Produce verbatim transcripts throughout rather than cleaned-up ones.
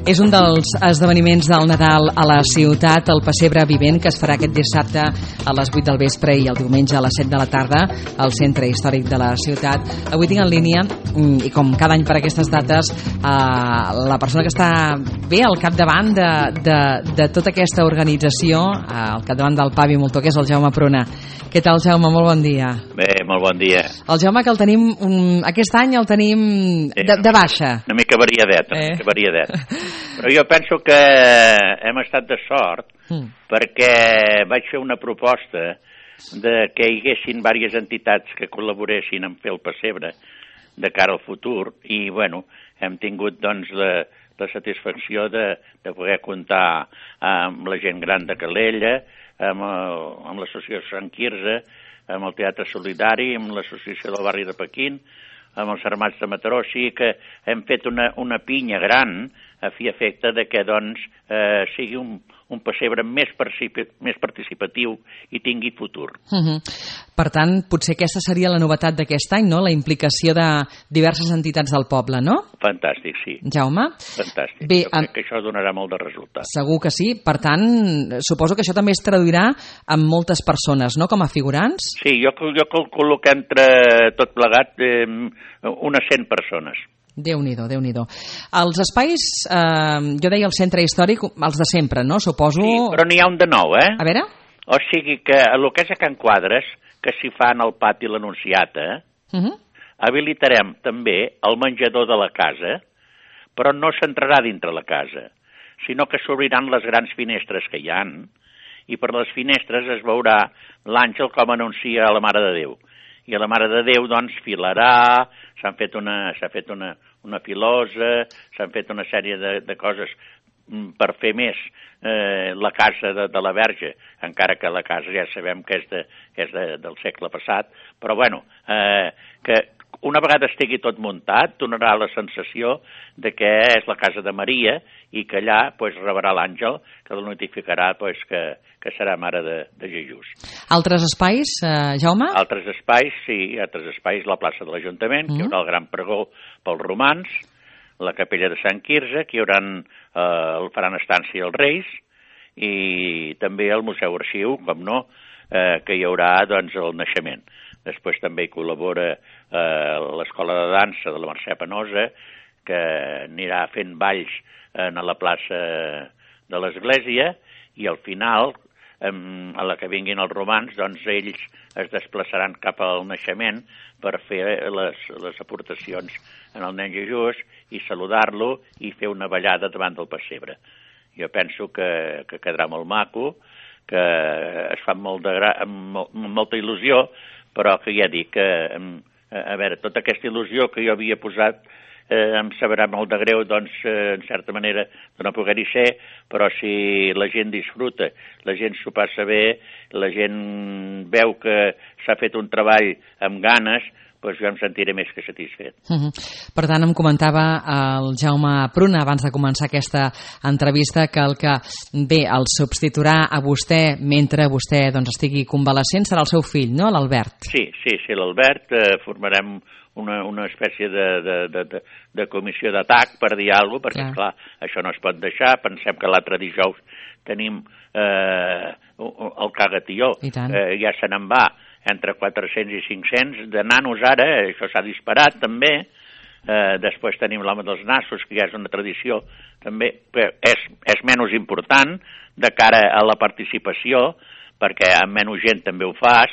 És un dels esdeveniments del Nadal a la ciutat, el pessebre vivent, que es farà aquest dissabte a les vuit del vespre i el diumenge a les set de la tarda al centre històric de la ciutat. Avui tinc en línia, i com cada any per aquestes dates, la persona que està bé al capdavant de, de, de tota aquesta organització, al capdavant del Pavi Moltó, que és el Jaume Pruna. Què tal, Jaume? Molt bon dia. Bé, molt bon dia. El Jaume, que el tenim, um, aquest any el tenim sí, de, de baixa. Una mica variadet, una eh? mica variadet. Però jo penso que hem estat de sort mm. perquè vaig fer una proposta de que hi haguessin diverses entitats que col·laboressin en fer el pessebre de cara al futur i, bueno, hem tingut, doncs, la, la satisfacció de, de poder comptar amb la gent gran de Calella, amb, el, amb l'associació Sant Quirze, amb el Teatre Solidari, amb l'associació del barri de Pequín, amb els Armats de Mataró. O sigui que hem fet una, una pinya gran a fi efecte de que doncs, eh, sigui un, un pessebre més, més participatiu i tingui futur. Uh-huh. Per tant, potser aquesta seria la novetat d'aquest any, no? La implicació de diverses entitats del poble, no? Fantàstic, sí. Jaume? Fantàstic. Bé, jo crec que això donarà molt de resultat. Segur que sí. Per tant, suposo que això també es traduirà amb moltes persones, no?, com a figurants? Sí, jo, jo calculo que entre tot plegat eh, unes cent persones. Déu-n'hi-do, Déu-n'hi-do. Els espais, eh, jo deia el centre històric, els de sempre, no? Suposo... Sí, però n'hi ha un de nou, eh? A veure? O sigui que el que és a Can Quadres, que s'hi fa en el pati l'Anunciata, uh-huh. habilitarem també el menjador de la casa, però no s'entrarà dintre la casa, sinó que s'obriran les grans finestres que hi han, i per les finestres es veurà l'àngel com anuncia a la Mare de Déu. I a la Mare de Déu, doncs, filarà, s'han fet una, s'ha fet una, una filosa, s'han fet una sèrie de, de coses per fer més eh, la casa de, de la Verge, encara que la casa ja sabem que és, de, que és de, del segle passat, però bueno, eh, que una vegada estigui tot muntat, donarà la sensació de que és la casa de Maria i que allà pues, rebrà l'àngel que el notificarà pues, que, que serà mare de, de Jesús. Altres espais, eh, Jaume? Altres espais, sí, altres espais, la plaça de l'Ajuntament, mm. que hi haurà el gran pregó pels romans, la capella de Sant Quirze, que hi haurà, eh, el faran estància els Reis, i també el Museu Arxiu, com no, eh, que hi haurà doncs, el naixement. Després també hi col·labora eh, l'Escola de Dansa de la Mercè Penosa, que anirà fent balls eh, a la plaça de l'Església, i al final, eh, a la que vinguin els romans, doncs ells es desplaçaran cap al naixement per fer les, les aportacions en el nen Jesús i saludar-lo i fer una ballada davant del pessebre. Jo penso que, que quedarà molt maco, que es fa molt de gra... amb, molt, amb molta il·lusió, però que ja dic que, a veure, tota aquesta il·lusió que jo havia posat eh, em sabrà molt de greu, doncs, eh, en certa manera, de no poder-hi ser, però si la gent disfruta, la gent s'ho passa bé, la gent veu que s'ha fet un treball amb ganes, doncs jo em sentiré més que satisfet. Uh-huh. Per tant, em comentava el Jaume Pruna, abans de començar aquesta entrevista, que el que bé el substituirà a vostè mentre vostè doncs, estigui convalescent serà el seu fill, no?, l'Albert. Sí, sí, sí, l'Albert. Eh, formarem una, una espècie de, de, de, de, de comissió d'atac, per dir alguna cosa, perquè, clar. clar, això no es pot deixar. Pensem que l'altre dijous tenim eh, el Cagatió, eh, ja se n'en va, entre quatre-cents i cinc-cents, de nanos ara, això s'ha disparat també, eh, després tenim l'home dels nassos, que ja és una tradició també, que és, és menys important de cara a la participació, perquè amb menys gent també ho fas,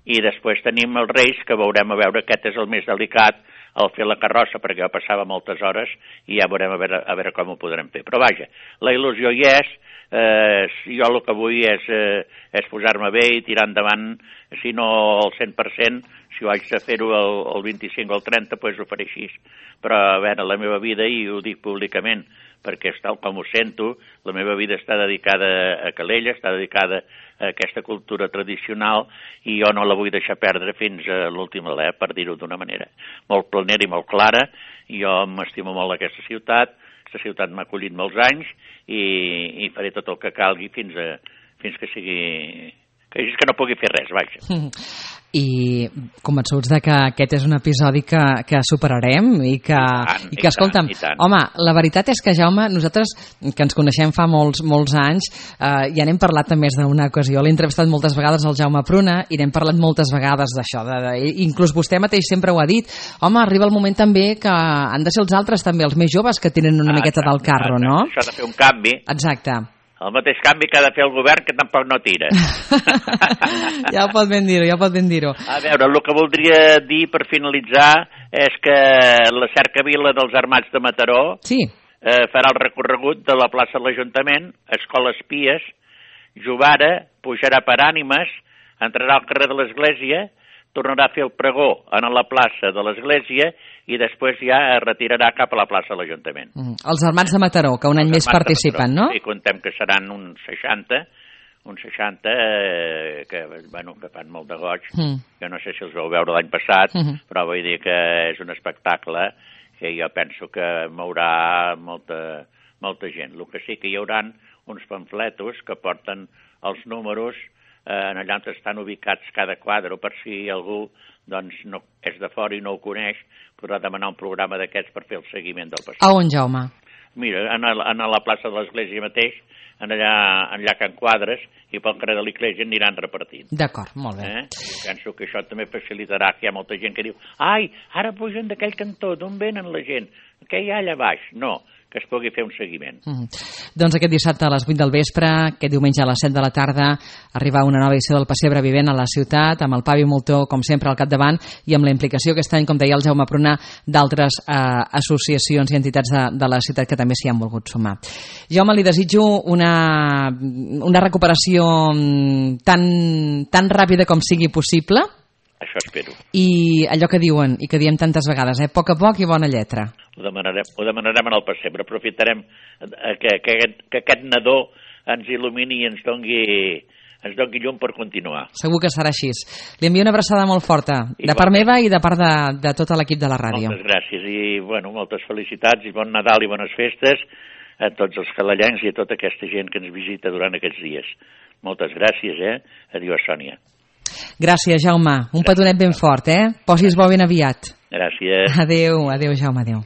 i després tenim els Reis, que veurem a veure, aquest és el més delicat, el fer la carrossa, perquè jo passava moltes hores, i ja veurem a veure, a veure com ho podrem fer. Però vaja, la il·lusió hi és, eh, jo el que vull és, eh, és posar-me bé i tirar endavant, si no al cent per cent, si ho haig de fer-ho el, el vint-i-cinc o el trenta, doncs ho faré així. Però, a veure, la meva vida, i ho dic públicament, perquè és tal com ho sento, la meva vida està dedicada a Calella, està dedicada a aquesta cultura tradicional, i jo no la vull deixar perdre fins a l'últim alè, per dir-ho d'una manera molt planera i molt clara. Jo m'estimo molt aquesta ciutat, aquesta ciutat m'ha acollit molts anys, i, i faré tot el que calgui fins, a, fins que sigui... que és que no pugui fer res, vaja. i convençuts de que aquest és un episodi que, que superarem i que, I tant, i que i escolta'm, tant, i tant. home, la veritat és que, Jaume, nosaltres que ens coneixem fa molts, molts anys, eh, ja n'hem parlat en més d'una ocasió, l'he entrevistat moltes vegades al Jaume Pruna i n'hem parlat moltes vegades d'això, de, de, inclús vostè mateix sempre ho ha dit, home, arriba el moment també que han de ser els altres també, els més joves que tenen una ah, miqueta del carro, ah, no? Això ha de fer un canvi. Exacte. El mateix canvi que ha de fer el govern, que tampoc no tira. Ja ho pot ben dir-ho, ja ho pot ben dir-ho. A veure, el que voldria dir per finalitzar és que la cercavila dels Armats de Mataró sí. eh, farà el recorregut de la plaça de l'Ajuntament, Escola Espies, Jovara, pujarà per Ànimes, entrarà al carrer de l'Església, tornarà a fer el pregó en la plaça de l'Església i després ja es retirarà cap a la plaça de l'Ajuntament. Mm. Els Armats de Mataró, que un any més participen, no? Sí, contem que seran uns seixanta, uns seixanta eh, que, bueno, que fan molt de goig. Mm. Jo no sé si els vau veure l'any passat, mm -hmm. però vull dir que és un espectacle que jo penso que mourà molta, molta gent. El que sí que hi haurà uns pamfletos que porten els números eh, allà on estan ubicats cada quadre, per si algú doncs, no, és de fora i no ho coneix, podrà demanar un programa d'aquests per fer el seguiment del passeig. A on, Jaume? Mira, en, el, en la plaça de l'Església mateix, en allà, allà Can Quadres, i pel carrer de l'Església aniran repartint. D'acord, molt bé. Eh? I penso que això també facilitarà, que hi ha molta gent que diu ai, ara pugen d'aquell cantó, d'on venen la gent? Què hi ha allà baix? No, que es pugui fer un seguiment. Mm. Doncs aquest dissabte a les vuit del vespre, aquest diumenge a les set de la tarda, arriba una nova edició del Pessebre Vivent a la ciutat, amb el Pavi Moltó, com sempre, al capdavant, i amb la implicació aquest any, com deia el Jaume Pruna, d'altres eh, associacions i entitats de, de la ciutat que també s'hi han volgut sumar. Jaume, li desitjo una, una recuperació tan, tan ràpida com sigui possible. Això espero. I allò que diuen, i que diem tantes vegades, eh? A poc a poc i bona lletra. Ho demanarem, ho demanarem en el pessebre. Aprofitarem que, que, que aquest nadó ens il·lumini i ens dongui, ens dongui llum per continuar. Segur que serà així. Li envio una abraçada molt forta, de part meva i de part de, de tot l'equip de la ràdio. Moltes gràcies i, bueno, moltes felicitats i bon Nadal i bones festes a tots els calallencs i a tota aquesta gent que ens visita durant aquests dies. Moltes gràcies, eh? Adiós, Sònia. Gràcies, Jaume. Un petonet ben fort, eh? Posis bo ben aviat. Gràcies. Adéu, adéu, Jaume, adéu.